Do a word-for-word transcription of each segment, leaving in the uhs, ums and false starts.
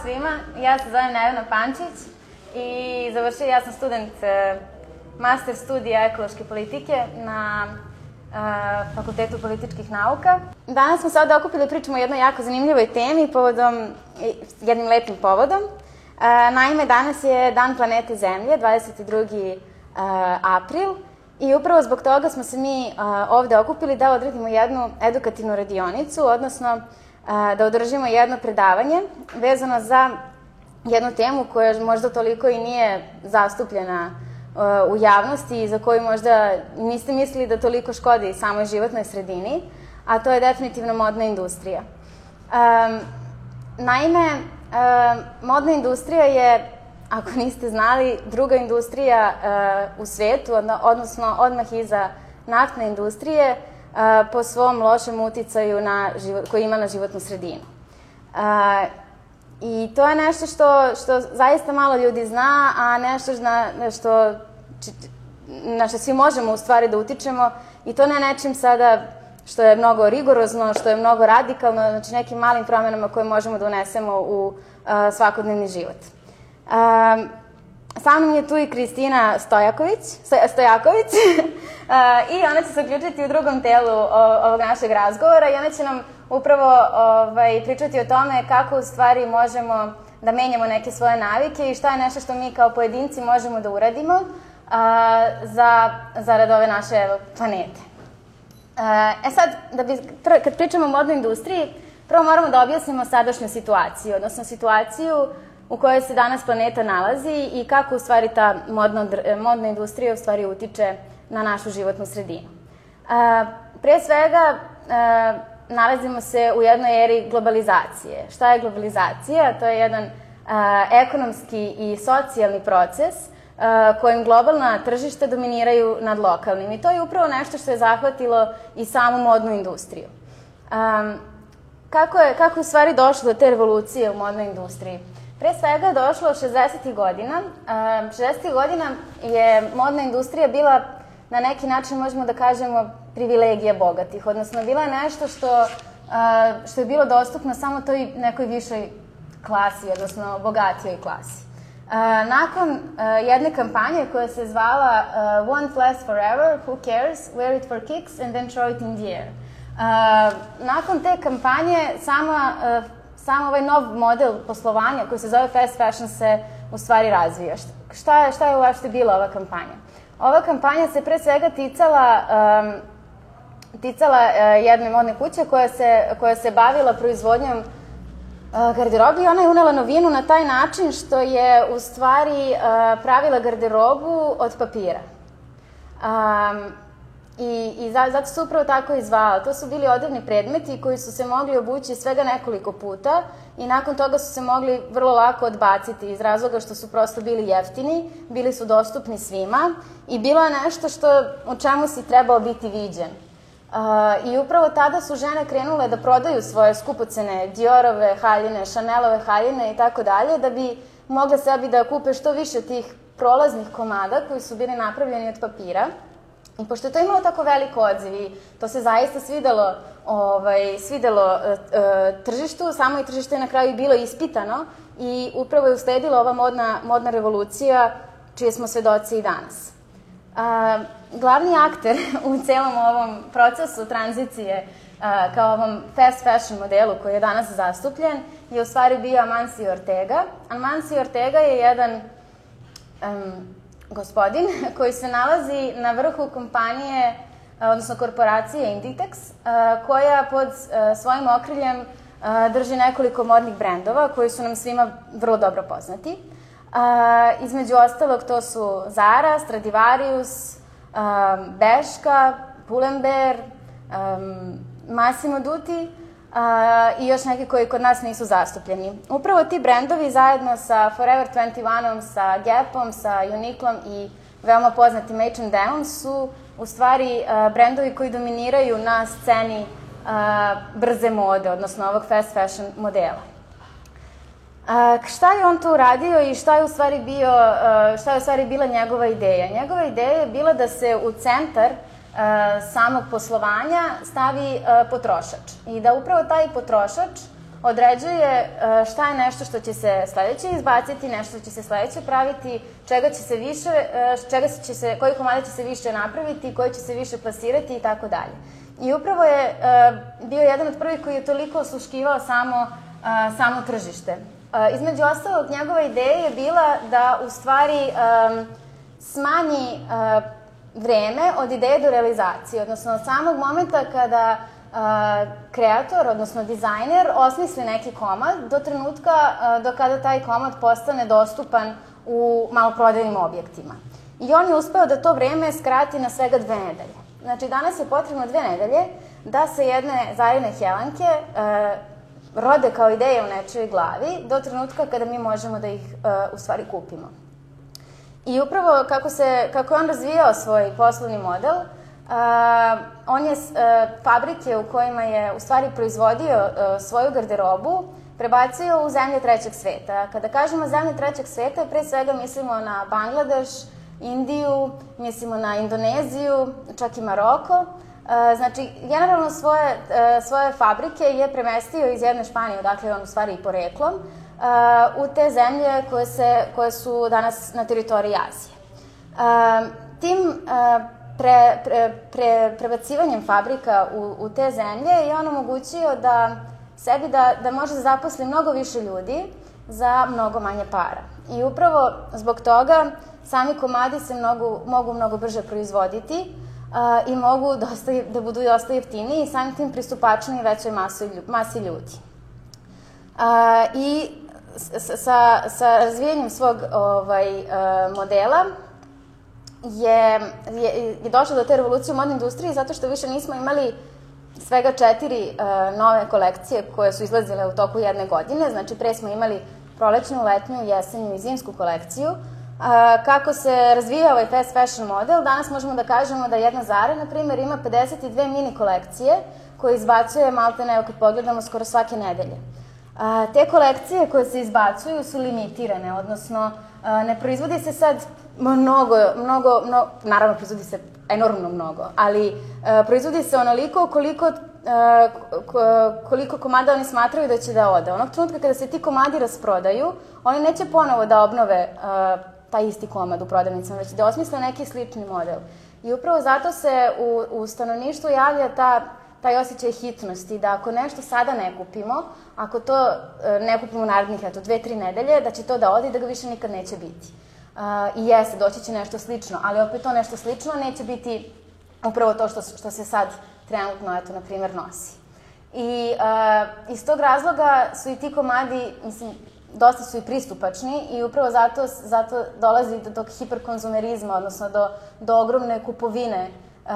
svima, ja se zovem Nevena Pančić i završila, ja sam student master studija ekološke politike na Fakultetu političkih nauka. Danas smo se ovde okupili da pričamo o jednoj jako zanimljivoj temi, povodom, jednim lepim povodom. Naime, danas je Dan planete Zemlje, dvadeset drugi april, i upravo zbog toga smo se mi ovde okupili da odradimo jednu edukativnu radionicu, odnosno da održimo jedno predavanje vezano za jednu temu koja možda toliko i nije zastupljena u javnosti i za koju možda niste mislili da toliko škodi samoj životnoj sredini, a to je definitivno modna industrija. Naime, modna industrija je, ako niste znali, druga industrija u svetu, odnosno odmah iza naftne industrije, po svom lošem uticaju koji ima na životnu sredinu. I to je nešto što zaista malo ljudi zna, a nešto na što svi možemo u stvari da utičemo, i to ne nečim sada što je mnogo rigorozno, što je mnogo radikalno, znači nekim malim promenama koje možemo da unesemo u svakodnevni život. Sa mnom je tu i Kristina Stojaković i ona će se uključiti u drugom delu ovog našeg razgovora i ona će nam upravo pričati o tome kako u stvari možemo da menjamo neke svoje navike i šta je nešto što mi kao pojedinci možemo da uradimo zarad ove naše planete. E sad, kad pričamo o modnoj industriji, prvo moramo da objasnimo sadašnju situaciju, odnosno situaciju u kojoj se danas planeta nalazi i kako u stvari ta modna industrija u stvari utiče na našu životnu sredinu. Pre svega, nalazimo se u jednoj eri globalizacije. Šta je globalizacija? To je jedan ekonomski i socijalni proces kojim globalna tržišta dominiraju nad lokalnim. I to je upravo nešto što je zahvatilo i samu modnu industriju. Kako je u stvari došlo do te revolucije u modnoj industriji? Pre svega je došlo šezdesetih godina. šezdesetih godina je modna industrija bila, na neki način možemo da kažemo, privilegija bogatih, odnosno bila je nešto što je bilo dostupno samo toj nekoj višoj klasi, odnosno bogatijoj klasi. Nakon jedne kampanje koja se zvala One Flash Forever, Who Cares, Wear it for kicks and then throw it in the air. Nakon te kampanje sam ovaj nov model poslovanja koji se zove fast fashion se u stvari razvija. Šta je uopšte bila ova kampanja? Ova kampanja se pre svega ticala jedne modne kuće koja se bavila proizvodnjom garderobe i ona je unela novinu na taj način što je u stvari pravila garderobu od papira. I zato se upravo tako i zvala. To su bili odevni predmeti koji su se mogli obući svega nekoliko puta i nakon toga su se mogli vrlo lako odbaciti iz razloga što su prosto bili jeftini, bili su dostupni svima i bilo je nešto u čemu si trebao biti viđen. I upravo tada su žene krenule da prodaju svoje skupocene Diorove haljine, Chanelove haljine i tako dalje, da bi mogle sebi da kupe što više tih prolaznih komada koji su bili napravljeni od papira. I pošto je to imalo tako velik odziv i to se zaista svidelo tržištu, samo i tržište je na kraju bilo ispitano i upravo je usledila ova modna revolucija čije smo svedoci i danas. Glavni akter u celom ovom procesu tranzicije kao ovom fast fashion modelu koji je danas zastupljen je u stvari bio Amancio Ortega. Amancio Ortega je jedan gospodin koji se nalazi na vrhu kompanije, odnosno korporacije Inditex, koja pod svojim okriljem drži nekoliko modnih brendova koji su nam svima vrlo dobro poznati. Između ostalog to su Zara, Stradivarius, Bershka, Pull&Bear, Massimo Dutti i još neki koji kod nas nisu zastupljeni. Upravo ti brendovi zajedno sa Forever dvadeset jedan, sa Gapom, sa Uniqlom i veoma poznatim H and M-om su u stvari brendovi koji dominiraju na sceni brze mode, odnosno ovog fast fashion modela. Šta je on tu uradio i šta je u stvari bila njegova ideja? Njegova ideja je bila da se u centar samog poslovanja stavi potrošač i da upravo taj potrošač određuje šta je nešto što će se sledeće izbaciti, nešto što će se sledeće praviti, čega će se više, čega će se, koji komada će se više napraviti, koji će se više plasirati i tako dalje. I upravo je bio jedan od prvih koji je toliko osluškivao samo, samo tržište. Između ostalog, njegova ideja je bila da u stvari smanji vreme od ideje do realizacije, odnosno od samog momenta kada kreator, odnosno dizajner, osmisli neki komad do trenutka do kada taj komad postane dostupan u maloprodajnim objektima. I on je uspeo da to vreme skrati na svega dve nedelje. Znači, danas je potrebno dve nedelje da se jedne Zarine Helanke rode kao ideje u nečoj glavi do trenutka kada mi možemo da ih u stvari kupimo. I upravo kako, se, kako je on razvijao svoj poslovni model, Uh, on je uh, fabrike u kojima je u stvari proizvodio uh, svoju garderobu prebacio u zemlje trećeg sveta. Kada kažemo zemlje trećeg sveta, pre svega mislimo na Bangladeš, Indiju, mislimo na Indoneziju, čak i Maroko. Uh, znači, generalno svoje, uh, svoje fabrike je premestio iz jedne Španije, odakle je on u stvari i poreklom, uh, u te zemlje koje, se, koje su danas na teritoriji Azije. Uh, tim uh, Pre, pre, pre, prebacivanjem fabrika u, u te zemlje je on omogućio da sebi da, da može da zaposli mnogo više ljudi za mnogo manje para. I upravo zbog toga sami komadi se mnogo, mogu mnogo brže proizvoditi a, i mogu dosta, da budu dosta jeftiniji i samim tim pristupačniji većoj masi, masi ljudi. A, I sa, sa razvijanjem svog ovaj, a, modela je, je, je došlo do te revolucije u modnoj industriji zato što više nismo imali svega četiri uh, nove kolekcije koje su izlazile u toku jedne godine. Znači, pre smo imali prolećnu, letnju, jesenju i zimsku kolekciju. Uh, kako se razvija ovaj fast fashion model, danas možemo da kažemo da jedna Zara, na primjer, ima pedeset dve mini kolekcije koje izbacuje maltene, evo kad pogledamo, skoro svake nedelje. Uh, te kolekcije koje se izbacuju su limitirane, odnosno uh, ne proizvodi se sad mnogo, mnogo, mnogo, naravno proizvodi se enormno mnogo, ali uh, proizvodi se onoliko koliko, uh, koliko komada oni smatraju da će da ode. Onog trenutka kada se ti komadi rasprodaju, oni neće ponovo da obnove uh, taj isti komad u prodavnicama, već da osmisle neki slični model. I upravo zato se u, u stanovništvu javlja ta taj osjećaj hitnosti, da ako nešto sada ne kupimo, ako to uh, ne kupimo u narednih, eto, dve, tri nedelje, da će to da ode i da ga više nikad neće biti. Uh, I jeste, doći će nešto slično, ali opet to nešto slično neće biti upravo to što, što se sad trenutno, eto, na primjer, nosi. I uh, iz tog razloga su i ti komadi, mislim, dosta su i pristupačni i upravo zato, zato dolazi do tog hiperkonzumerizma, odnosno do, do ogromne kupovine uh,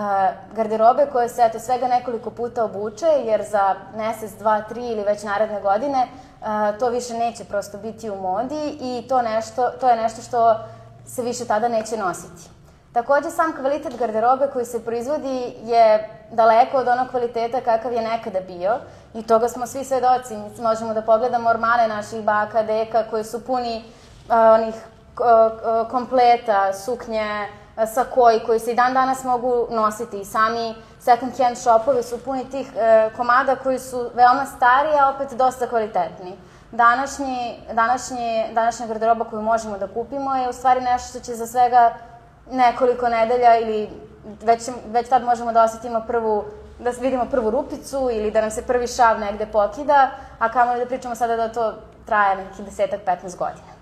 garderobe koje se, eto, svega nekoliko puta obuče, jer za mesec, dva, tri ili već naredne godine Uh, to više neće prosto biti u modi i to, nešto, to je nešto što se više tada neće nositi. Takođe, sam kvalitet garderobe koji se proizvodi je daleko od onog kvaliteta kakav je nekada bio i toga smo svi svedoci. Možemo da pogledamo ormane naših baka, deka koji su puni uh, onih uh, kompleta, suknje, sakoji koji se i dan danas mogu nositi i sami second hand shopovi su puni tih e, komada koji su veoma stari, a opet dosta kvalitetni. Današnji, današnji, današnja garderoba koju možemo da kupimo je u stvari nešto što će za svega nekoliko nedelja ili već, već tad možemo da osetimo prvu, da vidimo prvu rupicu ili da nam se prvi šav negde pokida, a kamoli da pričamo sada da to traje nekih desetak, petnaest godina.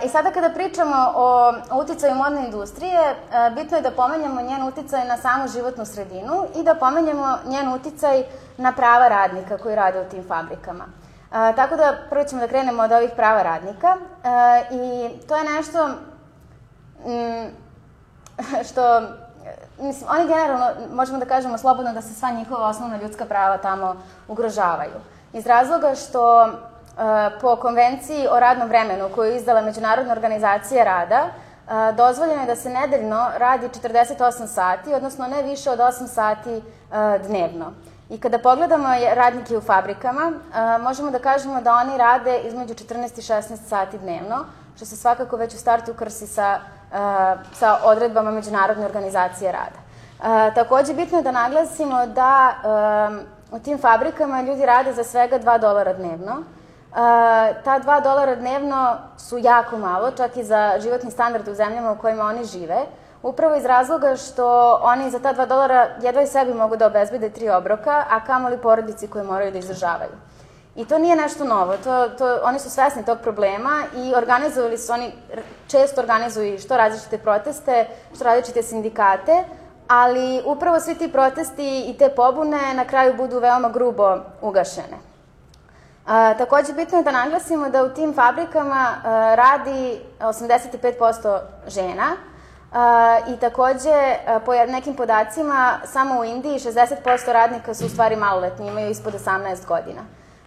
I sada kada pričamo o uticaju modne industrije, bitno je da pomenjamo njen uticaj na samu životnu sredinu i da pomenjamo njen uticaj na prava radnika koji rade u tim fabrikama. Tako da prvo ćemo da krenemo od ovih prava radnika i to je nešto što, mislim, oni generalno, možemo da kažemo slobodno da se sva njihova osnovna ljudska prava tamo ugrožavaju. Iz razloga što po konvenciji o radnom vremenu koju je izdala Međunarodna organizacija rada, dozvoljeno je da se nedeljno radi četrdeset osam sati, odnosno ne više od osam sati dnevno. I kada pogledamo radnike u fabrikama, možemo da kažemo da oni rade između četrnaest i šesnaest sati dnevno, što se svakako već u startu krsi sa, sa odredbama Međunarodne organizacije rada. Takođe, bitno je da naglasimo da u tim fabrikama ljudi rade za svega dva dolara dnevno. Ta dva dolara dnevno su jako malo, čak i za životni standard u zemljama u kojima oni žive, upravo iz razloga što oni za ta dva dolara jedva i sebi mogu da obezbede tri obroka, a kamoli porodici koje moraju da izdržavaju. I to nije nešto novo, to, to, oni su svesni tog problema i organizovali su, oni često organizuju što različite proteste, što različite sindikate, ali upravo svi ti protesti i te pobune na kraju budu veoma grubo ugašene. A, takođe, bitno je da naglasimo da u tim fabrikama a, radi osamdeset pet posto žena a, i takođe, a, po nekim podacima, samo u Indiji šezdeset posto radnika su u stvari maloletni, imaju ispod osamnaest godina.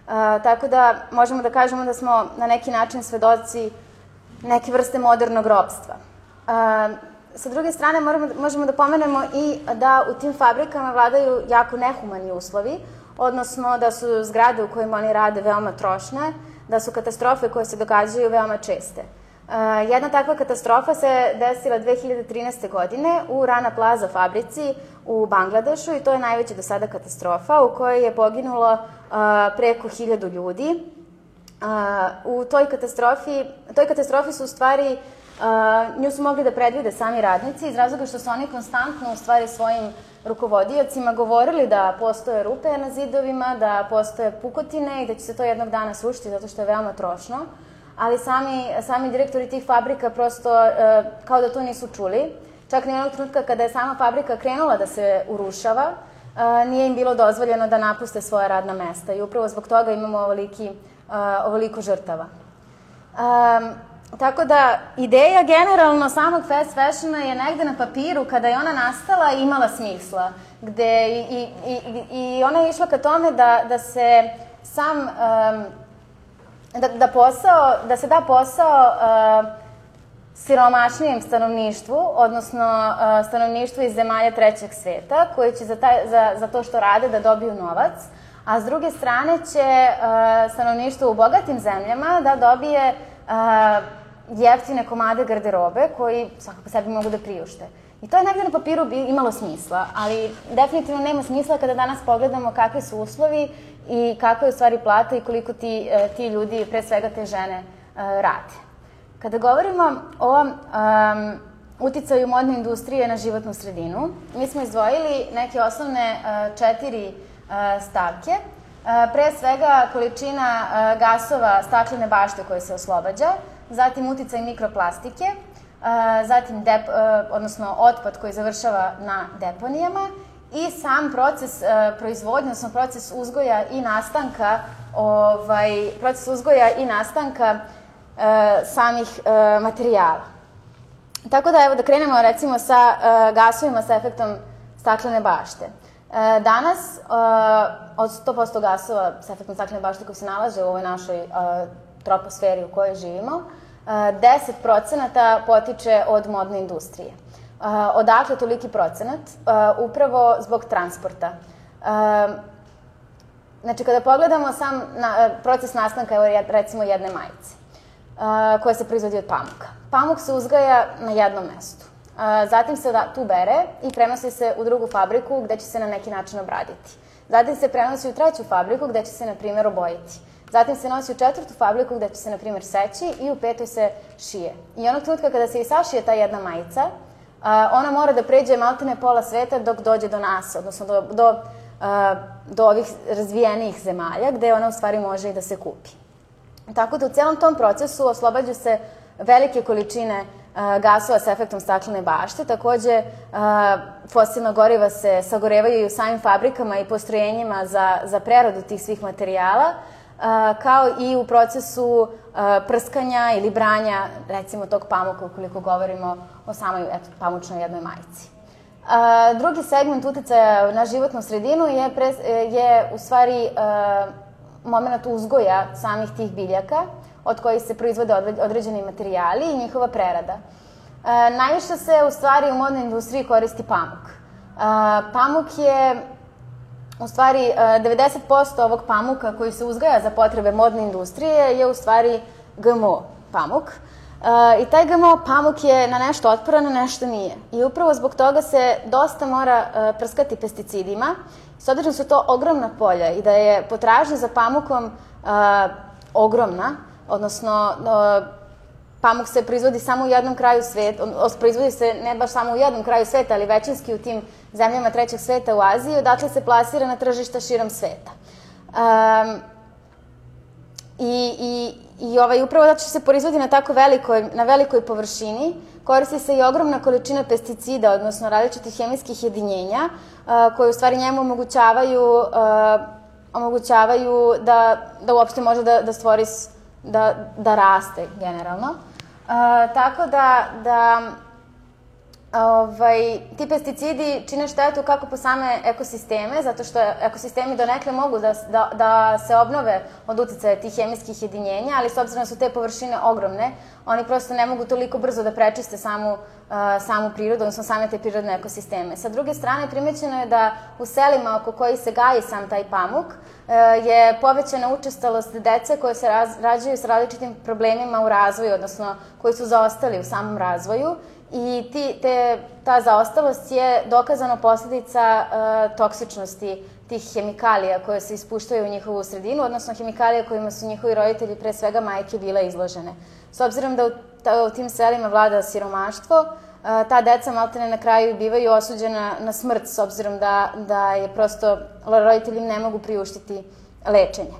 A, tako da možemo da kažemo da smo na neki način svedoci neke vrste modernog ropstva. A, sa druge strane, moramo, možemo da pomenemo i da u tim fabrikama vladaju jako nehumani uslovi, odnosno da su zgrade u kojima oni rade veoma trošne, da su katastrofe koje se događaju veoma česte. Uh, jedna takva katastrofa se desila dve hiljade trinaeste. godine u Rana Plaza fabrici u Bangladešu i to je najveća do sada katastrofa u kojoj je poginulo uh, preko hiljadu ljudi. Uh, u toj katastrofi, toj katastrofi su u stvari, uh, nju su mogli da predvide sami radnici iz razloga što su oni konstantno u stvari svojim rukovodiocima govorili da postoje rupe na zidovima, da postoje pukotine i da će se to jednog dana srušiti zato što je veoma trošno. Ali sami, sami direktori tih fabrika prosto e, kao da to nisu čuli. Čak ni onog trenutka kada je sama fabrika krenula da se urušava, e, nije im bilo dozvoljeno da napuste svoja radna mesta i upravo zbog toga imamo ovoliki, e, ovoliko žrtava. E, tako da, ideja generalno samog fast fashiona je negde na papiru, kada je ona nastala, imala smisla. Gde i, i, i, i ona je išla ka tome da, da se sam... Um, Da, da, posao, da se da posao uh, siromašnijem stanovništvu, odnosno uh, stanovništvu iz zemalja trećeg sveta, koji će za, taj, za, za to što rade da dobiju novac, a s druge strane će uh, stanovništvo u bogatim zemljama da dobije uh, jeftine komade garderobe koji svakako sebi mogu da priušte. I to je negde na papiru bi imalo smisla, ali definitivno nema smisla kada danas pogledamo kakvi su uslovi i kakva je u stvari plata i koliko ti, ti ljudi, pre svega te žene, rade. Kada govorimo o um, uticaju modne industrije na životnu sredinu, mi smo izdvojili neke osnovne uh, četiri uh, stavke. Uh, pre svega količina uh, gasova staklene bašte koje se oslobađa, zatim uticaj mikroplastike, uh, zatim dep, uh, odnosno otpad koji završava na deponijama, i sam proces uh, proizvodnje, odnosno proces uzgoja i nastanka, ovaj, proces uzgoja i nastanka uh, samih uh, materijala. Tako da, evo, da krenemo recimo sa uh, gasovima sa efektom staklene bašte. Uh, danas, uh, od sto posto gasova sa efektom staklene bašte koji se nalaze u ovoj našoj uh, troposferi u kojoj živimo, uh, deset procenata potiče od modne industrije. Uh, odakle toliki procenat? Uh, upravo zbog transporta. Uh, znači, kada pogledamo sam na, uh, proces nastanka, evo, recimo, jedne majice, uh, koja se proizvodi od pamuka. Pamuk se uzgaja na jednom mestu. Uh, zatim se da, tu bere i prenosi se u drugu fabriku gde će se na neki način obraditi. Zatim se prenosi u treću fabriku gde će se, na primjer, obojiti. Zatim se nosi u četvrtu fabriku gde će se, na primjer, seći i u petoj se šije. I onog trenutka kada se i sašije ta jedna majica, Uh, ona mora da pređe maltene pola sveta dok dođe do nas, odnosno do, do, uh, do ovih razvijenijih zemalja, gde ona u stvari može i da se kupi. Tako da u celom tom procesu oslobađaju se velike količine uh, gasova sa efektom staklene bašte. Takođe, uh, fosilna goriva se sagorevaju i u samim fabrikama i postrojenjima za, za preradu tih svih materijala, Uh, kao i u procesu uh, prskanja ili branja, recimo, tog pamuka, ukoliko govorimo o samoj, eto, pamučnoj jednoj majici. Uh, drugi segment uticaja na životnu sredinu je, pre, je u stvari uh, moment uzgoja samih tih biljaka, od kojih se proizvode određeni materijali i njihova prerada. Uh, najviše se, u stvari, u modnoj industriji koristi pamuk. Uh, pamuk je U stvari, devedeset posto ovog pamuka koji se uzgaja za potrebe modne industrije je u stvari G M O pamuk. I taj G M O pamuk je na nešto otporan, na nešto nije. I upravo zbog toga se dosta mora prskati pesticidima, s obzirom da su to ogromna polja i da je potražnja za pamukom ogromna, odnosno pamuk se proizvodi samo u jednom kraju sveta, proizvodi se ne baš samo u jednom kraju sveta, ali većinski u tim zemljama trećeg sveta u Aziji, odatle se plasira na tržišta širom sveta. I upravo zato što se proizvodi na tako velikoj površini, koristi se i ogromna količina pesticida, odnosno različitih hemijskih jedinjenja, koje u stvari njemu omogućavaju omogućavaju da uopšte može da stvori, da raste generalno. Tako da ti pesticidi čine štetu kako po same ekosisteme, zato što ekosistemi donekle mogu da se obnove od uticaja tih hemijskih jedinjenja, ali s obzirom da su te površine ogromne, oni prosto ne mogu toliko brzo da prečiste samu prirodu, odnosno same te prirodne ekosisteme. Sa druge strane, primećeno je da u selima oko kojih se gaji sam taj pamuk je povećana učestalost dece koje se rađaju s različitim problemima u razvoju, odnosno koji su zaostali u samom razvoju. I ta zaostalost je dokazano posledica toksičnosti tih hemikalija koje se ispuštaju u njihovu sredinu, odnosno hemikalija kojima su njihovi roditelji, pre svega majke, bile izložene. S obzirom da u tim selima vlada siromaštvo, ta deca maltene na kraju bivaju osuđena na smrt, s obzirom da je prosto roditelji ne mogu priuštiti lečenje.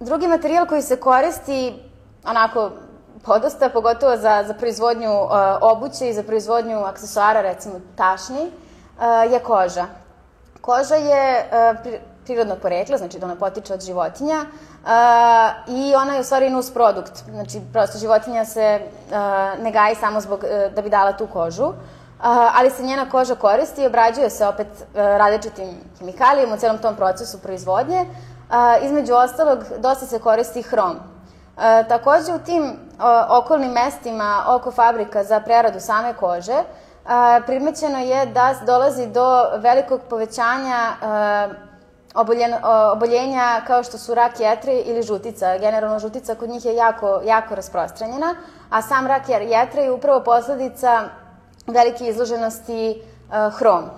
Drugi materijal koji se koristi, onako, podosta, pogotovo za proizvodnju obuće i za proizvodnju aksesuara, recimo tašni, je koža. Koža je prirodnog porekla, znači da ona potiče od životinja i ona je u stvari nusprodukt. Znači, prosto životinja se ne gaji samo da bi dala tu kožu, ali se njena koža koristi i obrađuje se opet različitim hemikalijama u celom tom procesu proizvodnje. Između ostalog, dosta se koristi hrom. Takođe, u tim okolnim mestima oko fabrika za preradu same kože primećeno je da dolazi do velikog povećanja oboljenja kao što su rak jetre ili žutica. Generalno, žutica kod njih je jako rasprostranjena, a sam rak jetre je upravo posledica velike izloženosti hromu.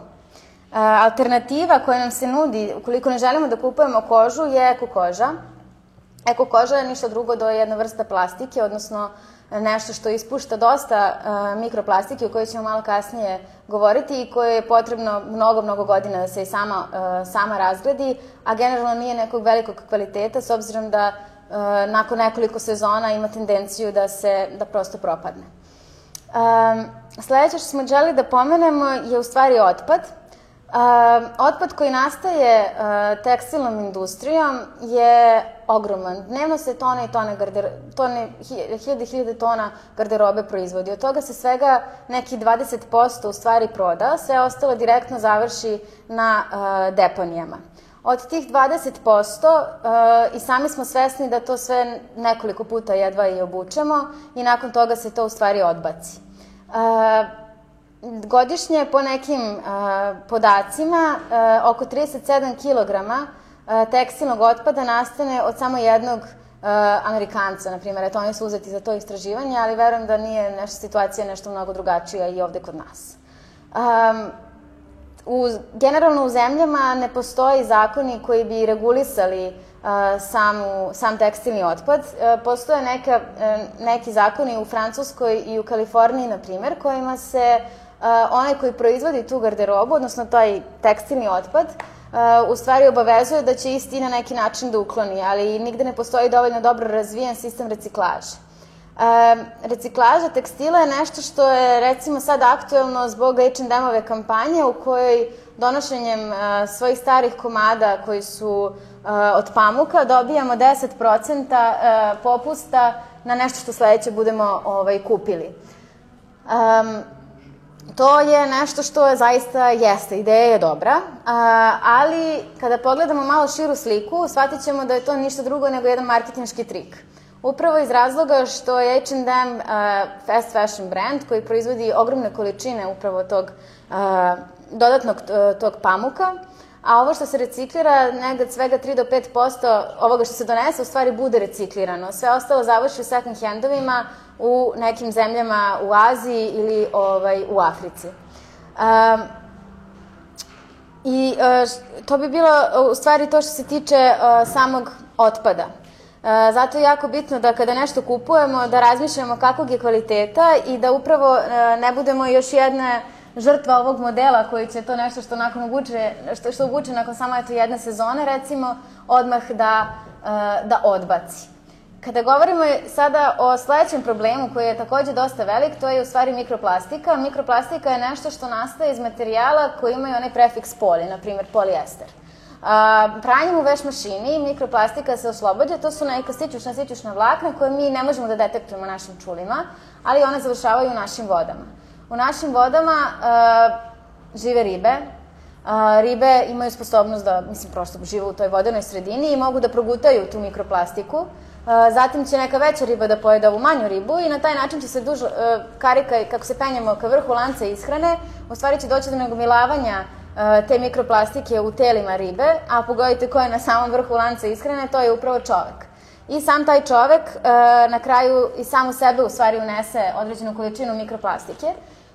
Alternativa koja nam se nudi, ukoliko ne želimo da kupujemo kožu, je eko koža. Eko koža je ništa drugo do jedna vrsta plastike, odnosno nešto što ispušta dosta mikroplastike o kojoj ćemo malo kasnije govoriti i koje je potrebno mnogo, mnogo godina da se i sama razgradi, a generalno nije nekog velikog kvaliteta, s obzirom da nakon nekoliko sezona ima tendenciju da prosto propadne. Sledeće što smo želeli da pomenemo je u stvari otpad. Otpad koji nastaje tekstilnom industrijom je ogroman. Dnevno se tone i tone, hiljade i hiljade tona garderobe proizvodi. Od toga se svega neki dvadeset posto u stvari proda, sve ostalo direktno završi na deponijama. Od tih dvadeset posto i sami smo svesni da to sve nekoliko puta jedva i obučemo i nakon toga se to u stvari odbaci. Godišnje, po nekim podacima, oko trideset sedam kilograma tekstilnog otpada nastane od samo jednog Amerikanca, na primjer. Eto, oni su uzeti za to istraživanje, ali verujem da nije nešto situacija nešto mnogo drugačija i ovde kod nas. Generalno u zemljama ne postoji zakoni koji bi regulisali sam tekstilni otpad. Postoje neki zakoni u Francuskoj i u Kaliforniji, na primjer, kojima se onaj koji proizvodi tu garderobu, odnosno taj tekstilni otpad, u stvari obavezuje da će isti na neki način da ukloni, ali nigde ne postoji dovoljno dobro razvijen sistem reciklaže. Reciklaža tekstila je nešto što je, recimo, sad aktuelno zbog H and M-ove kampanje u kojoj donošenjem svojih starih komada koji su od pamuka dobijamo deset procenta popusta na nešto što sledeće budemo kupili. To je nešto što zaista jeste, ideja je dobra, ali kada pogledamo malo širu sliku, shvatit ćemo da je to ništa drugo nego jedan marketinški trik. Upravo iz razloga što je H and M fast fashion brand koji proizvodi ogromne količine upravo tog dodatnog tog pamuka, a ovo što se reciklira, negde svega tri do pet posto ovoga što se donese, u stvari bude reciklirano. Sve ostalo završi u second handovima u nekim zemljama u Aziji ili u Africi. I to bi bilo u stvari to što se tiče samog otpada. Zato je jako bitno da kada nešto kupujemo, da razmišljamo kakvog je kvaliteta i da upravo ne budemo još jedna žrtva ovog modela koji će to nešto što nakon obuče, što, što obuče nakon samo eto jedne sezone, recimo, odmah da, da odbaci. Kada govorimo sada o sledećem problemu koji je takođe dosta velik, to je u stvari mikroplastika. Mikroplastika je nešto što nastaje iz materijala koji imaju onaj prefiks poli, na primjer polijester. Pranjem u veš mašini mikroplastika se oslobađa, to su neka stićušna, stićušna vlakna koje mi ne možemo da detektujemo našim čulima, ali one završavaju u našim vodama. U našim vodama žive ribe. Ribe imaju sposobnost da, mislim, prosto žive u toj vodenoj sredini i mogu da progutaju tu mikroplastiku. Zatim će neka veća riba da pojede ovu manju ribu i na taj način će se duž karika, kako se penjemo ka vrhu lanca ishrane, u stvari će doći do nagomilavanja te mikroplastike u telima ribe, a pogodite ko je na samom vrhu lanca ishrane, to je upravo čovek. I sam taj čovek na kraju i sam u sebe u stvari unese određenu količinu mikroplastike.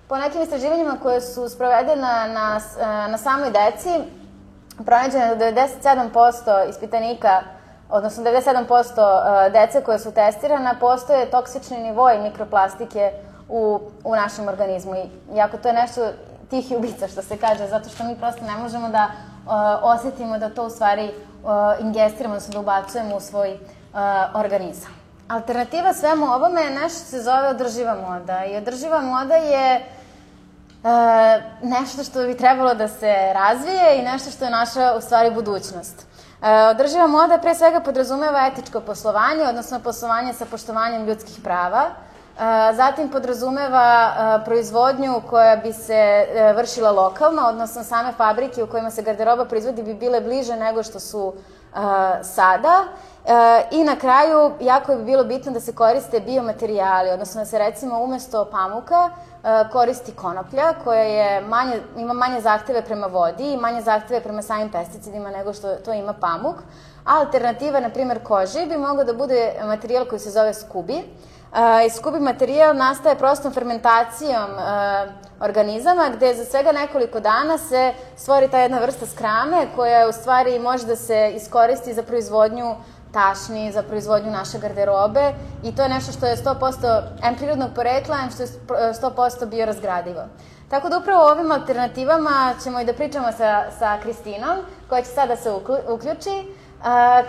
Po nekim istraživanjima koje su sprovedene na, na samoj deci, pronađeno je da devedeset sedam posto ispitanika, odnosno devedeset sedam posto dece koje su testirana, postoje toksični nivoi mikroplastike u, u našem organizmu. Iako to je nešto tihi ubica, što se kaže, zato što mi prosto ne možemo da osetimo da to u stvari ingestiramo, odnosno da ubacujemo u svoj organizam. Alternativa svemu ovome je nešto što se zove održiva moda. I održiva moda je nešto što bi trebalo da se razvije i nešto što je naša, u stvari, budućnost. Održiva moda pre svega podrazumeva etičko poslovanje, odnosno poslovanje sa poštovanjem ljudskih prava. Zatim podrazumeva proizvodnju koja bi se vršila lokalno, odnosno same fabrike u kojima se garderoba proizvodi bi bile bliže nego što su sada. I na kraju, jako bi bilo bitno da se koriste biomaterijali, odnosno da se recimo umesto pamuka koristi konoplja koja je manje, ima manje zahteve prema vodi i manje zahteve prema samim pesticidima nego što to ima pamuk. A alternativa, na primjer, koži bi mogao da bude materijal koji se zove skubi. I skubi materijal nastaje prostom fermentacijom organizama gde za svega nekoliko dana se stvori ta jedna vrsta skrame koja u stvari može da se iskoristi za proizvodnju tašni, za proizvodnju naše garderobe i to je nešto što je sto posto em prirodnog porekla, em što je sto posto biorazgradivo. Tako da upravo o ovim alternativama ćemo i da pričamo sa, sa Kristinom, koja će sada se uključi.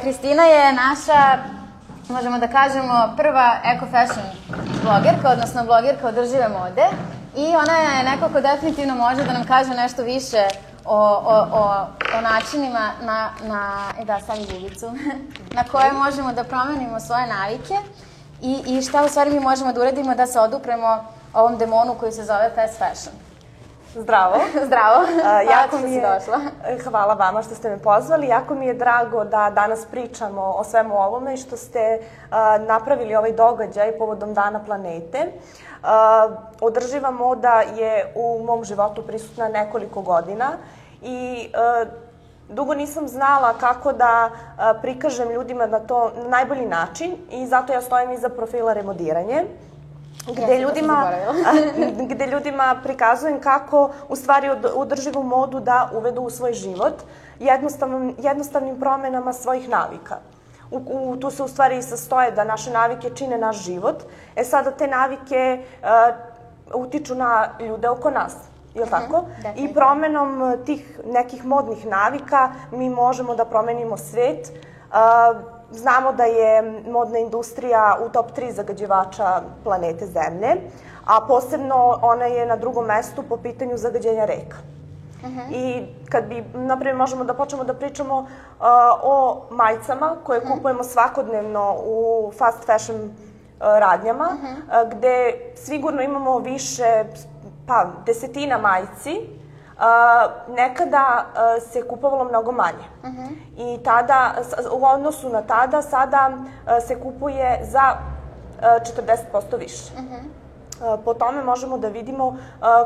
Kristina je naša, možemo da kažemo, prva eco-fashion blogerka, odnosno blogerka održive mode i ona je neko ko definitivno može da nam kaže nešto više o, o, o, o načinima na, na, e da, stavi ljubicu, na koje možemo da promenimo svoje navike i, i šta u stvari mi možemo da uradimo da se odupremo ovom demonu koji se zove fast fashion. Zdravo. Zdravo. Hvala jako što mi si je, došla. Hvala vama što ste me pozvali. Jako mi je drago da danas pričamo o svemu ovome i što ste uh, napravili ovaj događaj povodom Dana planete. Uh, održiva moda je u mom životu prisutna nekoliko godina i uh, dugo nisam znala kako da uh, prikažem ljudima na to na najbolji način i zato ja stojim iza profila Remodiranje. Gde ljudima, gde ljudima prikazujem kako u stvari održivu modu da uvedu u svoj život jednostavnim, jednostavnim promenama svojih navika. U, u, tu se u stvari i sastoje da naše navike čine naš život. E sada te navike uh, utiču na ljude oko nas. Je li tako? I promenom tih nekih modnih navika mi možemo da promenimo svet. Uh, Znamo da je modna industrija u top tri zagađivača planete Zemlje, a posebno ona je na drugom mestu po pitanju zagađenja reka. I kad bi, naprimjer, možemo da počnemo da pričamo uh, o majicama koje kupujemo svakodnevno u fast fashion uh, radnjama, uh, gde sigurno imamo više, pa, desetina majici. Uh, nekada uh, se kupovalo mnogo manje. Uh-huh. I tada, u odnosu na tada, sada uh, se kupuje za uh, četrdeset posto više. Uh-huh. Po tome možemo da vidimo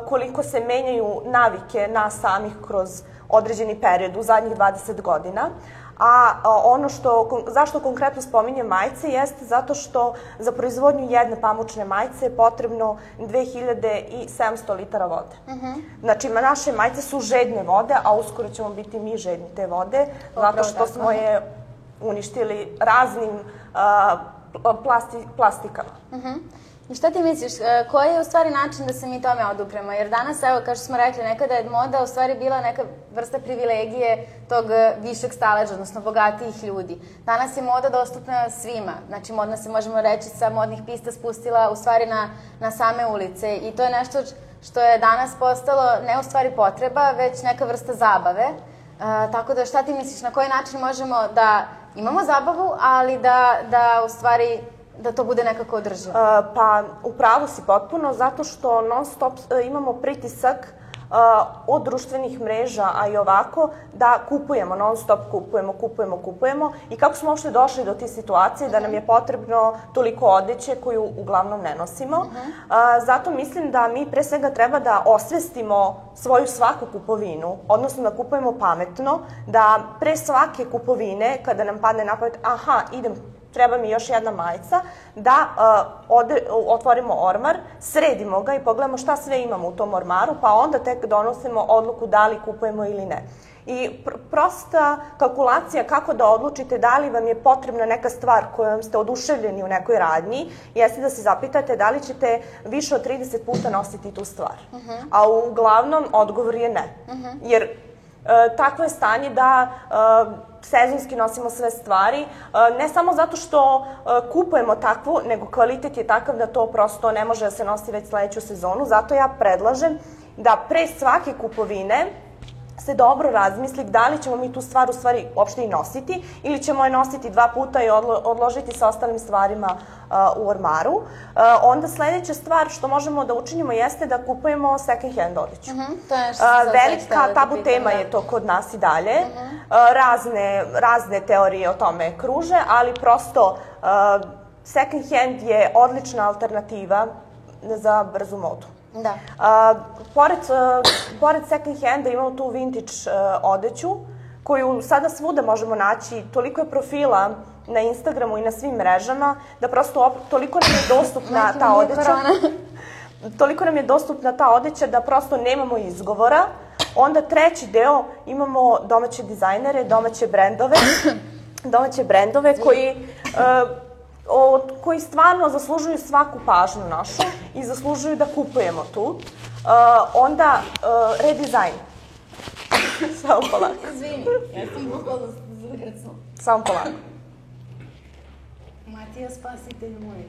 koliko se menjaju navike nas samih kroz određeni period u zadnjih dvadeset godina. A ono što, zašto konkretno spominjem majice jeste zato što za proizvodnju jedne pamučne majice je potrebno dve hiljade sedamsto litara vode. Znači, naše majice su žedne vode, a uskoro ćemo biti mi žedni te vode, zato što smo je uništili raznim plastikama. I šta ti misliš, koji je u stvari način da se mi tome odupremo? Jer danas, evo, kao što smo rekli, nekada je moda u stvari bila neka vrsta privilegije tog višeg staleža, odnosno bogatijih ljudi. Danas je moda dostupna svima. Znači, modna se, možemo reći, sa modnih pista spustila u stvari na same ulice. I to je nešto što je danas postalo ne u stvari potreba, već neka vrsta zabave. Tako da, šta ti misliš, na koji način možemo da imamo zabavu, ali da u stvari da to bude nekako održivo? Pa, upravo si potpuno, zato što non stop imamo pritisak od društvenih mreža, a i ovako, da kupujemo, non stop kupujemo, kupujemo, kupujemo. I kako smo uopšte došli do te situacije da nam je potrebno toliko odeće koju uglavnom ne nosimo. Zato mislim da mi pre svega treba da osvestimo svoju svaku kupovinu, odnosno da kupujemo pametno, da pre svake kupovine, kada nam padne na pamet, aha, idem, treba mi još jedna majica, da otvorimo ormar, sredimo ga i pogledamo šta sve imamo u tom ormaru, pa onda tek donosimo odluku da li kupujemo ili ne. I prosta kalkulacija kako da odlučite da li vam je potrebna neka stvar kojom ste oduševljeni u nekoj radnji, jeste da se zapitate da li ćete više od trideset puta nositi tu stvar. A uglavnom odgovor je ne. Jer takvo je stanje da sezonski nosimo sve stvari, ne samo zato što kupujemo takvu, nego kvalitet je takav da to prosto ne može da se nosi već sledeću sezonu. Zato ja predlažem da pre svake kupovine se dobro razmisli da li ćemo mi tu stvar u stvari uopšte i nositi ili ćemo je nositi dva puta i odložiti sa ostalim stvarima u ormaru. Onda sledeća stvar što možemo da učinimo jeste da kupujemo second hand odeću. Velika tabu tema je to kod nas i dalje. Razne teorije o tome kruže, ali prosto second hand je odlična alternativa za brzu modu. Da. Pored second handa imamo tu vintage odeću, koju sada svuda možemo naći. Toliko je profila na Instagramu i na svim mrežama, da prosto toliko nam je dostupna ta odeća. Toliko nam je dostupna ta odeća da prosto nemamo izgovora. Onda treći deo imamo domaće dizajnere, domaće brendove, domaće brendove koji koji stvarno zaslužuju svaku pažnju našu i zaslužuju da kupujemo tu. Onda redizajn. Samo polako. Izvini, ja sam bukvalno zgrcnula. Samo polako. Matija, spasitelj moj.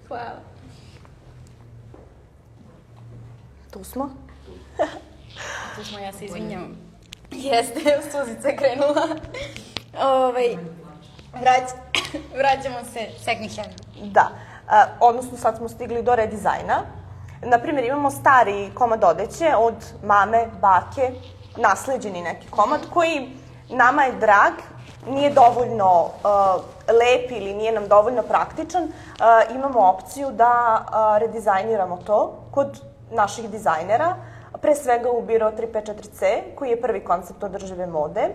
Hvala. Tu smo. Tu smo, ja se izvinjam. Jeste, suzica je krenula. Ovaj... Vraćamo se second hand. Da, odnosno sad smo stigli do redizajna. Naprimjer, imamo stari komad odeće od mame, bake, nasleđeni neki komad koji nama je drag, nije dovoljno lep ili nije nam dovoljno praktičan. Imamo opciju da redizajniramo to kod naših dizajnera, pre svega u Biro tri pet četiri ce, koji je prvi koncept održive mode.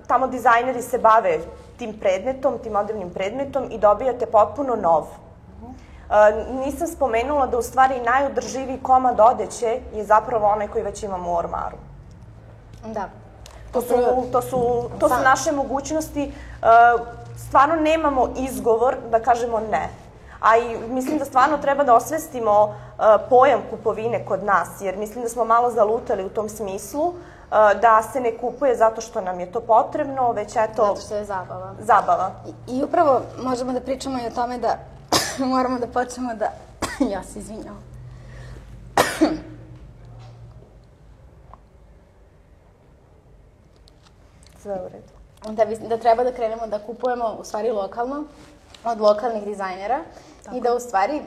Tamo dizajneri se bave tim predmetom, tim modernim predmetom i dobijate potpuno nov. Nisam spomenula da u stvari najodrživiji komad odeće je zapravo onaj koji već imamo u ormaru. Da. To su naše mogućnosti. Stvarno nemamo izgovor da kažemo ne. A i mislim da stvarno treba da osvestimo pojam kupovine kod nas, jer mislim da smo malo zalutali u tom smislu, da se ne kupuje zato što nam je to potrebno, već eto... Zato što je zabava. Zabava. I upravo možemo da pričamo i o tome da moramo da počnemo da... Ja se izvinjam. Sve u redu. Da treba da krenemo da kupujemo u stvari lokalno, od lokalnih dizajnera i da u stvari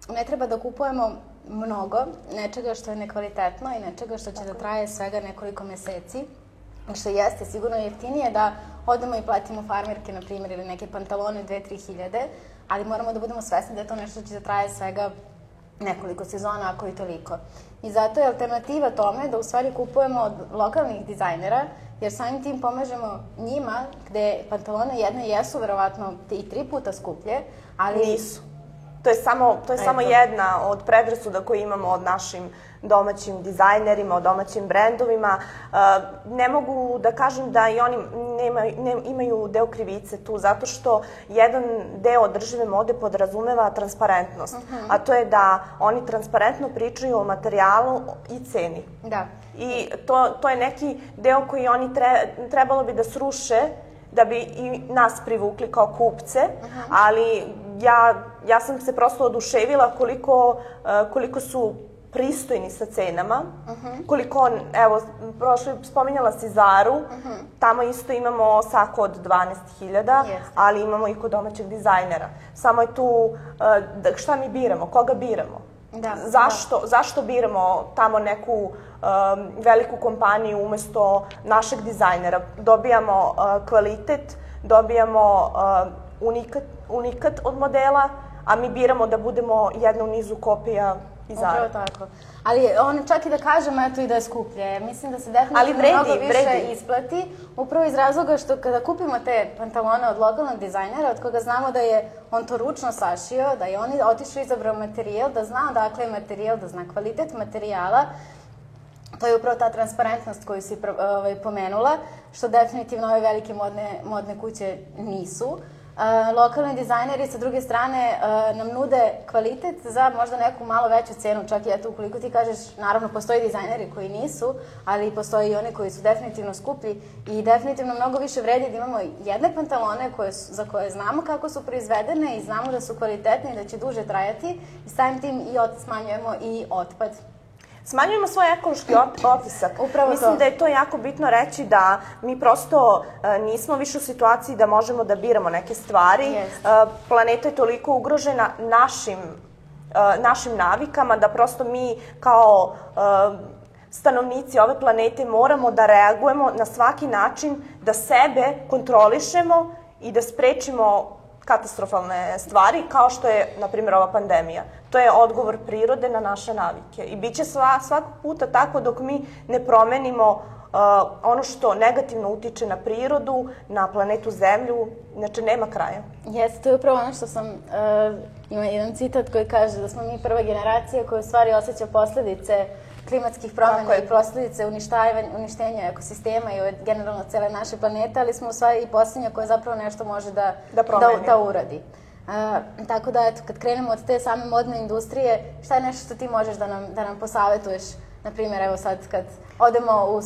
ne treba da kupujemo mnogo nečega što je nekvalitetno i nečega što će da traje svega nekoliko meseci. Što jeste sigurno jeftinije da odemo i platimo farmerke, na primjer, ili neke pantalone dve do tri hiljade, ali moramo da budemo svesni da je to nešto što će da traje svega nekoliko sezona, ako i toliko. I zato je alternativa tome da u stvari kupujemo od lokalnih dizajnera, jer samim tim pomažemo njima, gde pantalone jedne jesu verovatno i tri puta skuplje, ali... Nisu. To je samo, to je samo jedna od predrasuda koje imamo od našim domaćim dizajnerima, od domaćim brendovima. Ne mogu da kažem da i oni imaju deo krivice tu, zato što jedan deo održive mode podrazumeva transparentnost, a to je da oni transparentno pričaju o materijalu i ceni. Da. I to je neki deo koji oni trebalo bi da sruše da bi i nas privukli kao kupce, ali ja sam se prosto oduševila koliko su pristojni sa cenama, koliko, evo, prošlo spominjala si Zaru, tamo isto imamo sako od dvanaest hiljada, ali imamo i kod domaćeg dizajnera. Samo je tu, šta mi biramo, koga biramo? Zašto biramo tamo neku veliku kompaniju umesto našeg dizajnera? Dobijamo kvalitet, dobijamo unikat od modela, a mi biramo da budemo jedna u nizu kopija i Zara. Upravo tako. Ali on čak i da kažem, eto, i da je skuplje. Mislim da se definitivno mnogo više isplati. Upravo iz razloga što kada kupimo te pantalone od lokalnog dizajnera, od koga znamo da je on to ručno sašio, da je on otišao i izabrao materijal, da zna odakle je materijal, da zna kvalitet materijala, to je upravo ta transparentnost koju si pomenula, što definitivno ove velike modne kuće nisu. Lokalni dizajneri sa druge strane nam nude kvalitet za možda neku malo veću cenu, čak i eto ukoliko ti kažeš, naravno postoji dizajneri koji nisu, ali postoji i oni koji su definitivno skuplji i definitivno mnogo više vredi da imamo jedne pantalone za koje znamo kako su proizvedene i znamo da su kvalitetne i da će duže trajati i samim tim i smanjujemo i otpad. Smanjujemo svoj ekološki otisak. Mislim da je to jako bitno reći da mi prosto nismo više u situaciji da možemo da biramo neke stvari. Planeta je toliko ugrožena našim navikama da prosto mi kao stanovnici ove planete moramo da reagujemo na svaki način da sebe kontrolišemo i da sprečimo katastrofalne stvari, kao što je, na primjer, ova pandemija. To je odgovor prirode na naše navike. I bit će svakog puta tako dok mi ne promenimo ono što negativno utiče na prirodu, na planetu Zemlju, znači nema kraja. Jeste, to je upravo ono što sam, ima jedan citat koji kaže da smo mi prva generacija koja u stvari osjeća posledice klimatskih promjena i posledice uništenja ekosistema i generalno cele naše planete, ali smo u stvari i posljednja koja zapravo nešto može da uradi. Tako da, eto, kad krenemo od te same modne industrije, šta je nešto što ti možeš da nam posavetuješ? Naprimjer, evo sad kad odemo u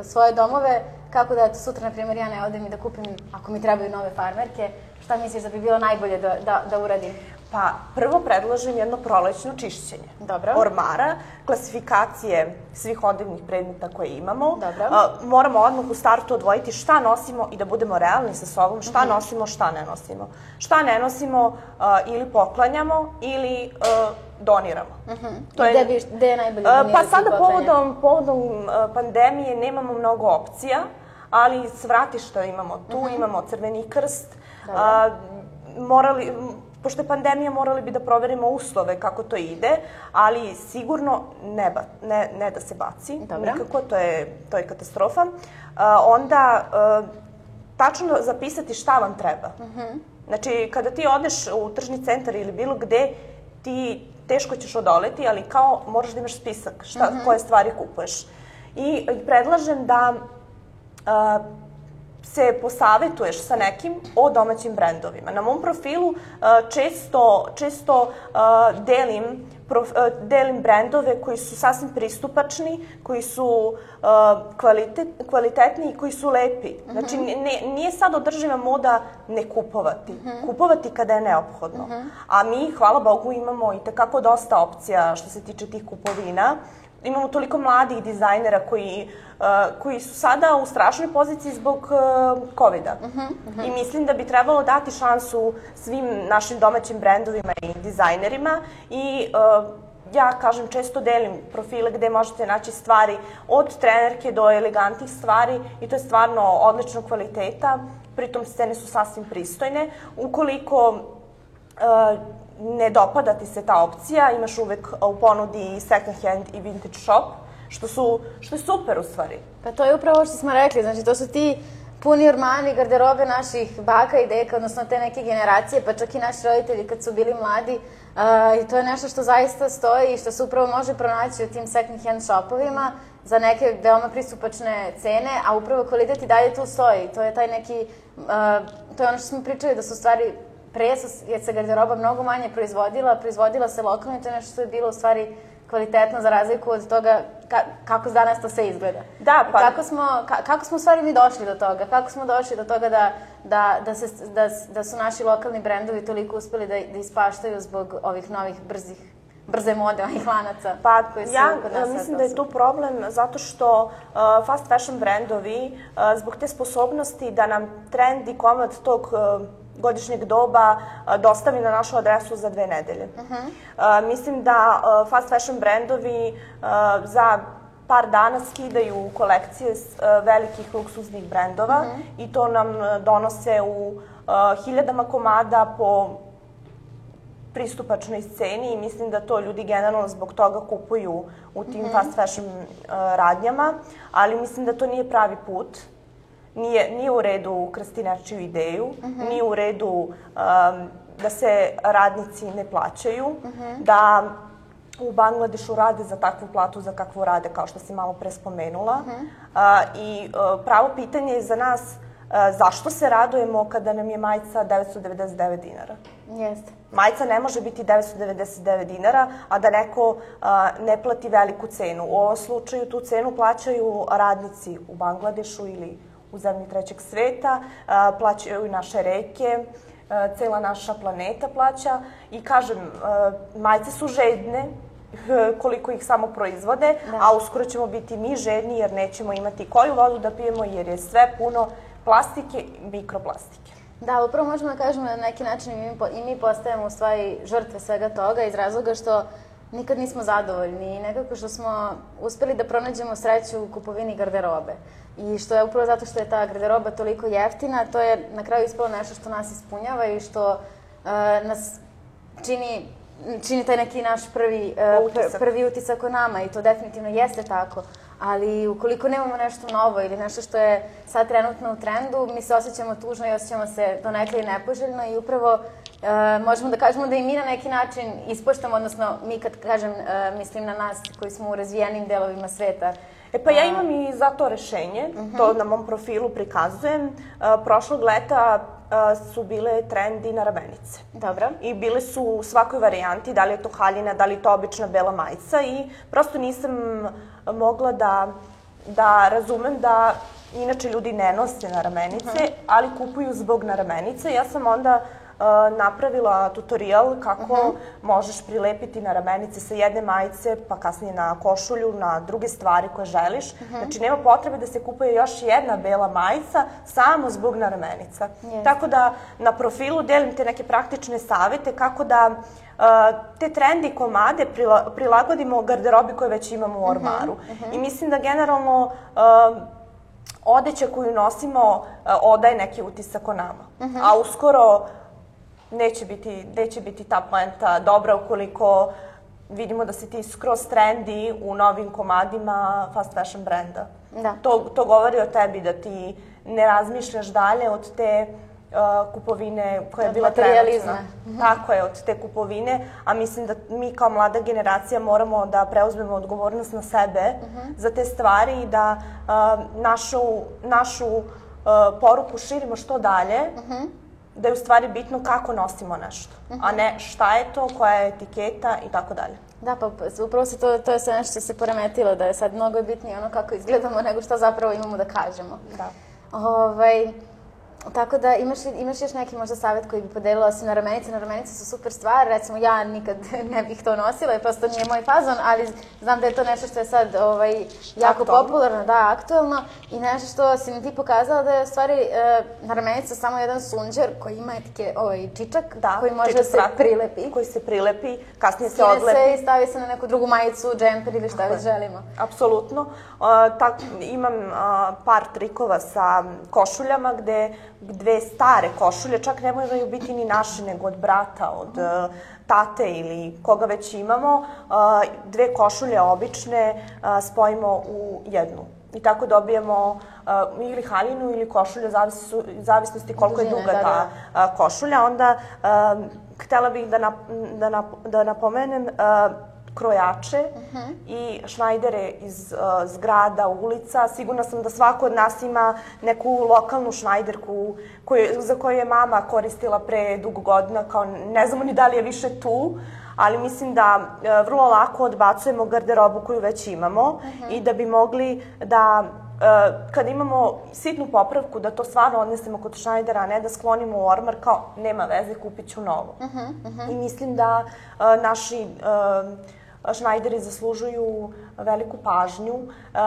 svoje domove, kako da, eto, sutra, naprimjer, ja ne odem i da kupim, ako mi trebaju nove farmerke, šta misliš da bi bilo najbolje da uradim? Pa, prvo predlažem jedno prolećno čišćenje ormara, klasifikacije svih odevnih predmeta koje imamo. Moramo odmah u startu odvojiti šta nosimo i da budemo realni sa sobom, šta nosimo, šta ne nosimo. Šta ne nosimo ili poklanjamo ili doniramo. Gde je najbolje donirati i poklanjati? Pa sada povodom pandemije nemamo mnogo opcija, ali svratišta imamo tu, imamo Crveni krst. Morali... Pošto je pandemija, morali bi da proverimo uslove kako to ide, ali sigurno ne da se baci, nikako, to je katastrofa. Onda tačno zapisati šta vam treba. Znači, kada ti odeš u tržni centar ili bilo gde, ti teško ćeš odoleti, ali kao moraš da imaš spisak koje stvari kupuješ. I predlažem da se posavetuješ sa nekim o domaćim brendovima. Na mom profilu često delim brendove koji su sasvim pristupačni, koji su kvalitetni i koji su lepi. Znači, nije sad održiva moda ne kupovati. Kupovati kada je neophodno. A mi, hvala Bogu, imamo i tekako dosta opcija što se tiče tih kupovina. Imamo toliko mladih dizajnera koji su sada u strašnoj poziciji zbog kovida. I mislim da bi trebalo dati šansu svim našim domaćim brendovima i dizajnerima. I ja, kažem, često delim profile gde možete naći stvari od trenerke do elegantnih stvari i to je stvarno odličnog kvaliteta. Pritom cene su sasvim pristojne. Ukoliko ne dopada ti se ta opcija, imaš uvek u ponudi second hand i vintage shop, što, su, što je super u stvari. Pa to je upravo što smo rekli, znači to su ti puni ormani, garderobe naših baka i deka, odnosno te neke generacije, pa čak i naši roditelji kad su bili mladi. Uh, I to je nešto što zaista stoji i što se upravo može pronaći u tim second hand shopovima za neke veoma pristupačne cene, a upravo kvalitet i dalje tu stoji. To je taj neki, uh, to je ono što smo pričali da su stvari pre je se garderoba mnogo manje proizvodila, proizvodila se lokalno i to je nešto što je bilo u stvari kvalitetno za razliku od toga ka, kako danas to sve izgleda. Da, pa... Kako smo, ka, kako smo u stvari mi došli do toga? Kako smo došli do toga da, da, da, se, da, da su naši lokalni brendovi toliko uspeli da, da ispaštaju zbog ovih novih brzih, brze mode, ovih lanaca? Pa koji su ja kod nas mislim da je tu problem zato što uh, fast fashion brendovi uh, zbog te sposobnosti da nam trend i komad tog uh, godišnjeg doba dostavi na našu adresu za dve nedelje. Uh-huh. Uh, mislim da uh, fast fashion brendovi uh, za par dana skidaju kolekcije s, uh, velikih luksuznih brendova uh-huh. i to nam donose u uh, hiljadama komada po pristupačnoj ceni i mislim da to ljudi generalno zbog toga kupuju u tim uh-huh. fast fashion uh, radnjama, ali mislim da to nije pravi put. Nije, nije u redu ukrasti nečiju ideju, uh-huh. nije u redu um, da se radnici ne plaćaju, uh-huh. da u Bangladešu rade za takvu platu za kakvu rade, kao što si malo pre spomenula. Uh-huh. uh, I uh, pravo pitanje je za nas uh, zašto se radujemo kada nam je majica devetsto devedeset devet dinara? Jeste. Majica ne može biti devetsto devedeset devet dinara, a da neko uh, ne plati veliku cenu. U ovom slučaju tu cenu plaćaju radnici u Bangladešu ili u zemlji trećeg sveta, plaćaju i naše reke, cela naša planeta plaća i kažem, majice su žedne koliko ih samo proizvode, da. A uskoro ćemo biti mi žedni jer nećemo imati koju vodu da pijemo jer je sve puno plastike i mikroplastike. Da, upravo možemo da kažemo na neki način i mi postajemo u stvari žrtve svega toga iz razloga što nikad nismo zadovoljni i nekako što smo uspeli da pronađemo sreću u kupovini garderobe. I što je upravo zato što je ta garderoba toliko jeftina, to je na kraju ispalo nešto što nas ispunjava i što uh, nas čini, čini taj neki naš prvi, uh, utisak. prvi utisak o nama i to definitivno jeste tako. Ali ukoliko nemamo nešto novo ili nešto što je sad trenutno u trendu, mi se osjećamo tužno i osjećamo se donekle i nepoželjno i upravo uh, možemo da kažemo da i mi na neki način ispoštamo, odnosno mi kad kažem, uh, mislim na nas koji smo u razvijenim delovima sveta. E pa ja imam i za to rešenje, uh-huh. to na mom profilu prikazujem. Uh, prošlog leta uh, su bile trendi na ramenice. Dobro. I bile su u svakoj varijanti, da li je to haljina, da li je to obična bela majica i prosto nisam mogla da, da razumem da inače ljudi ne nose na ramenice, uh-huh. ali kupuju zbog na ramenice. Ja sam onda Uh, napravila tutorial kako uh-huh. možeš prilepiti na ramenice sa jedne majice, pa kasnije na košulju, na druge stvari koje želiš. Uh-huh. Znači, nema potrebe da se kupuje još jedna bela majica samo zbog naramenica. Yes. Tako da na profilu delim te neke praktične savete kako da uh, te trendi komade prila, prilagodimo garderobi koje već imamo u ormaru. Uh-huh. Uh-huh. I mislim da generalno uh, odeća koju nosimo uh, odaje neki utisak o nama. Uh-huh. A uskoro Neće biti, neće biti ta poenta dobra ukoliko vidimo da si ti skroz trendi u novim komadima fast fashion brenda. Da. To, to govori o tebi da ti ne razmišljaš dalje od te uh, kupovine koja je bila trenutna. Tako je, od te kupovine. A mislim da mi kao mlada generacija moramo da preuzmemo odgovornost na sebe uh-huh. za te stvari i da uh, našu, našu uh, poruku širimo što dalje. Uh-huh. Da je u stvari bitno kako nosimo nešto, uh-huh. a ne šta je to, koja je etiketa i tako dalje. Da, pa upravo se to, to je sve nešto što se poremetilo, da je sad mnogo bitnije ono kako izgledamo nego šta zapravo imamo da kažemo. Da. Ovaj, tako da imaš, imaš još neki možda savjet koji bi podelila osim na ramenice. Na ramenice su super stvar, recimo ja nikad ne bih to nosila i prosto nije moj fazon, ali znam da je to nešto što je sad ovaj, jako aktualno. Popularno, da, aktualno i nešto što si mi ti pokazala da je u stvari e, na ramenice samo jedan sunđer koji ima etike, ovaj čičak, da, koji može da se prilepi. Koji se prilepi, kasnije se odlepi. Skine se i stavi se na neku drugu majicu, džemper ili šta već želimo. Apsolutno. Uh, tak, imam uh, par trikova sa košuljama gde dve stare košulje, čak ne moraju biti ni naše, nego od brata, od uh, tate ili koga već imamo, uh, dve košulje obične uh, spojimo u jednu. I tako dobijemo uh, ili haljinu ili košulju, zavisno, zavisnosti koliko je duga ta uh, košulja. Onda uh, htela bih da, nap, da, nap, da napomenem uh, krojače uh-huh. i šnajdere iz uh, zgrada, ulica. Sigurna sam da svako od nas ima neku lokalnu šnajderku koju, za koju je mama koristila pre dugo godina, kao ne znamo ni da li je više tu, ali mislim da e, vrlo lako odbacujemo garderobu koju već imamo uh-huh. i da bi mogli da, e, kada imamo sitnu popravku, da to stvarno odnesemo kod šnajdera, a ne da sklonimo u ormar kao nema veze, kupit ću novo. Uh-huh. Uh-huh. I mislim da e, naši e, šnajderi zaslužuju veliku pažnju. E,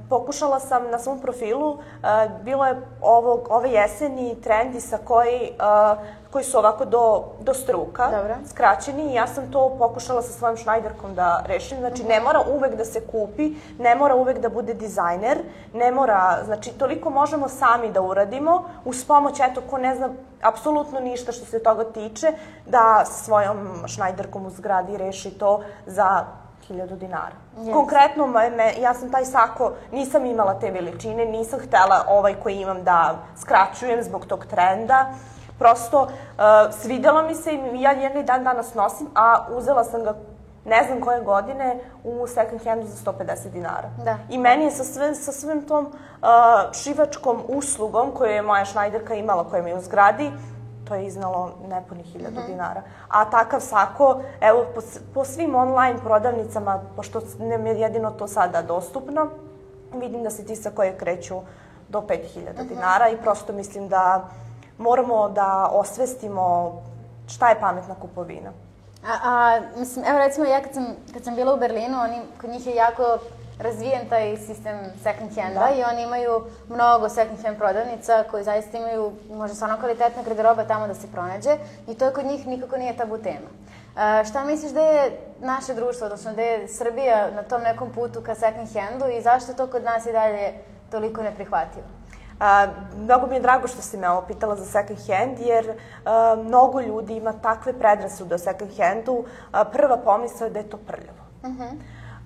pokušala sam na svom profilu, e, bilo je ovog, ove jeseni trendi sa koji, e, koji su ovako do, do struka, Dobro. skraćeni i ja sam to pokušala sa svojom šnajderkom da rešim. Znači, ne mora uvek da se kupi, ne mora uvek da bude dizajner, ne mora, znači, toliko možemo sami da uradimo, uz pomoć, eto, ko ne zna apsolutno ništa što se toga tiče, da sa svojom šnajderkom u zgradi reši to za hiljadu dinara. Yes. Konkretno, me, ja sam taj sako, nisam imala te veličine, nisam htela ovaj koji imam da skraćujem zbog tog trenda. Prosto, uh, svidjelo mi se i ja njega i dan danas nosim, a uzela sam ga ne znam koje godine u second handu za sto pedeset dinara. Da. I meni je sa, sve, sa svim tom uh, šivačkom uslugom koju je moja šnajderka imala, koja mi je u zgradi, to je iznalo nepunih hiljadu mm-hmm. dinara. A takav sako, evo, po, po svim online prodavnicama, pošto nam je jedino to sada dostupno, vidim da se ti sakoje kreću do pet hiljada mm-hmm. dinara i prosto mislim da moramo da osvestimo šta je pametna kupovina. A, a mislim, evo recimo ja kad sam, kad sam bila u Berlinu, oni, kod njih je jako razvijen taj sistem second handa da. I oni imaju mnogo second hand prodavnica koji zaista imaju možda stvarno kvalitetna garderoba tamo da se pronađe i to kod njih nikako nije tabu tema. A, šta misliš da je naše društvo, odnosno da je Srbija na tom nekom putu ka second handu i zašto to kod nas i dalje toliko neprihvatljivo? A, mnogo mi je drago što si me ovo pitala za second hand, jer a, mnogo ljudi ima takve predrasude o second handu. A, prva pomisla je da je to prljavo. Uh-huh.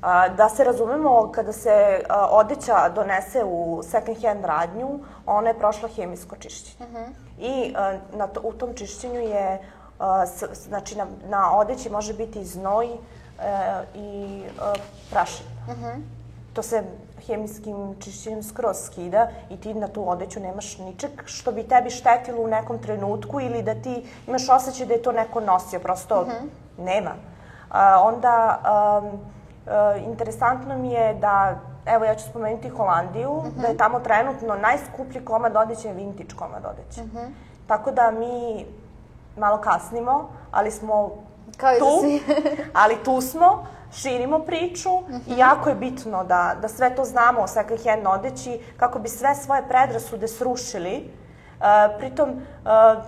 A, da se razumemo, kada se a, odeća donese u second hand radnju, ona je prošla hemijsko čišćenje. Uh-huh. I a, na to, u tom čišćenju je, a, s, znači na, na odeći može biti znoj a, i a, prašina. Uh-huh. To se hemijskim čišćenjem skroz skida i ti na tu odeću nemaš ničeg što bi tebi štetilo u nekom trenutku ili da ti imaš osjećaj da je to neko nosio, prosto uh-huh. nema. A, onda, um, uh, interesantno mi je da, evo ja ću spomenuti Holandiju, uh-huh. da je tamo trenutno najskuplji komad odeće je vintage komad odeće. Uh-huh. Tako da mi malo kasnimo, ali smo Kao tu, i ali tu smo. Širimo priču uh-huh. i jako je bitno da, da sve to znamo o second hand odeći kako bi sve svoje predrasude srušili. Uh, pritom, uh,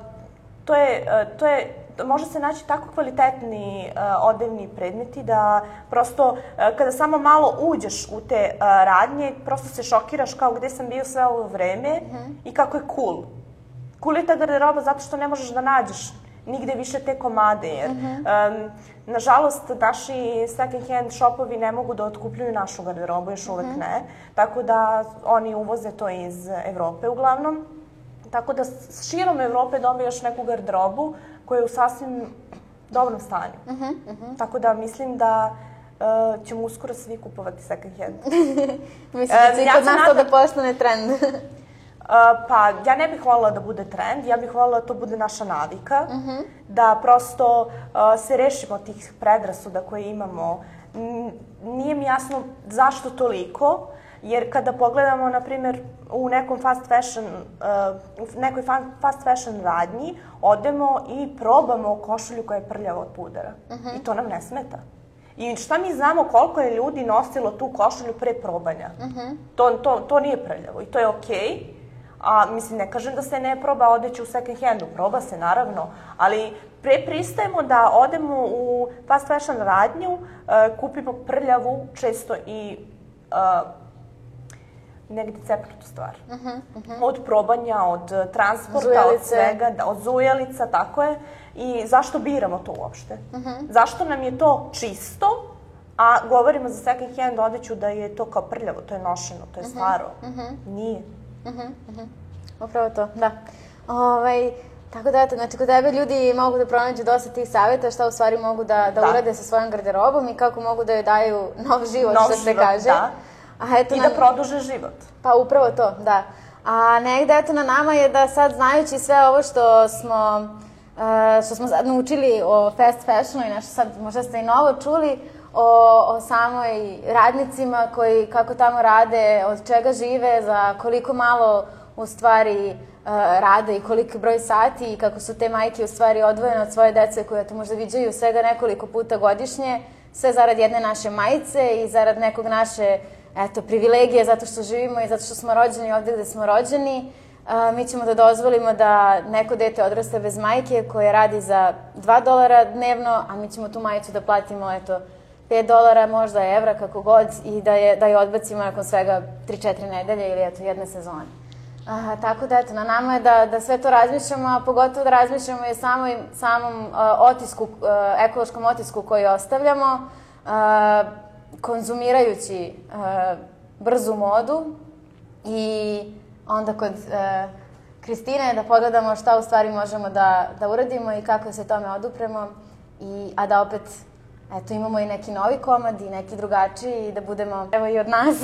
to je, uh, to je, može se naći tako kvalitetni uh, odevni predmeti da prosto uh, kada samo malo uđeš u te uh, radnje, prosto se šokiraš kao gde sam bio sve ovo vreme uh-huh. i kako je cool. Cool je ta garderoba zato što ne možeš da nađeš nigde više te komade, jer uh-huh. um, nažalost naši second hand shopovi ne mogu da otkupljuju našu garderobu, još uvek uh-huh. ne, tako da oni uvoze to iz Evrope uglavnom. Tako da širom Evrope dobije još neku garderobu koja je u sasvim dobrom stanju. Uh-huh. Uh-huh. Tako da mislim da uh, ćemo uskoro svi kupovati second hand. Mislim da će i kod nas to da postane trend. Uh, pa, ja ne bih voljela da bude trend, ja bih voljela da to bude naša navika, uh-huh. da prosto uh, se rešimo tih predrasuda koje imamo. N- nije mi jasno zašto toliko, jer kada pogledamo, na primjer, u nekom fast fashion, uh, u nekoj fast fashion radnji, odemo i probamo košulju koja je prljava od pudara. Uh-huh. I to nam ne smeta. I šta mi znamo koliko je ljudi nosilo tu košulju pre probanja. Uh-huh. To, to, to nije prljavo i to je okej. Okay. A mislim, ne kažem da se ne proba odeći u second handu, proba se naravno, ali pre pristajemo da odemo u fast fashion radnju, uh, kupimo prljavu, često i uh, negde cepnutu stvar. Od probanja, od transporta, od Zujelice. svega, da, od zujelica, tako je. I zašto biramo to uopšte? Zašto nam je to čisto, a govorimo za second hand odeću da je to kao prljavo, to je nošeno, to je staro. Nije. Upravo to, da. Ovaj, tako da, eto, znači, kod tebe ljudi mogu da pronađu dosta tih savjeta šta u stvari mogu da, da, Da. urade sa svojom garderobom i kako mogu da joj daju nov život, Nov što se život, kaže. da. A eto I nam- da produže život. Pa upravo to, da. A negde, eto, na nama je da sad, znajući sve ovo što smo, uh, što smo sad naučili o fast fashionu i nešto sad, možda ste i novo čuli, o, o samoj radnicima koji kako tamo rade, od čega žive, za koliko malo u stvari uh, rade i koliki broj sati i kako su te majke u stvari odvojene od svoje dece koje to možda viđaju svega nekoliko puta godišnje, sve zarad jedne naše majice i zarad nekog naše eto, privilegije zato što živimo i zato što smo rođeni ovde gde smo rođeni. Uh, mi ćemo da dozvolimo da neko dete odraste bez majke koje radi za dva dolara dnevno, a mi ćemo tu majicu da platimo, eto, pet dolara, možda evra, kako god, i da je, da je odbacimo nakon svega tri četiri nedelje ili eto, jedne sezone. Uh, tako da, eto, na nama je da, da sve to razmišljamo, a pogotovo da razmišljamo i o samoj, samom uh, otisku, uh, ekološkom otisku koji ostavljamo, uh, konzumirajući uh, brzu modu i onda kod uh, Kristine da pogledamo šta u stvari možemo da, da uradimo i kako se tome odupremo, i, a da opet eto, imamo i neki novi komad i neki drugačiji i da budemo, evo i od nas.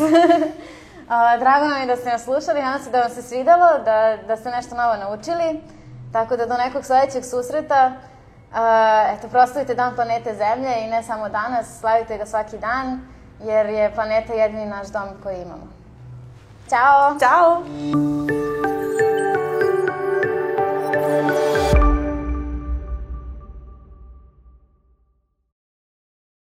A, drago nam je da ste nas slušali, nadam se da vam se svidalo, da, da ste nešto novo naučili, tako da do nekog sledećeg susreta, a, eto, proslavite Dan planete Zemlje i ne samo danas, slavite ga svaki dan, jer je planeta jedini naš dom koji imamo. Ćao! Ćao!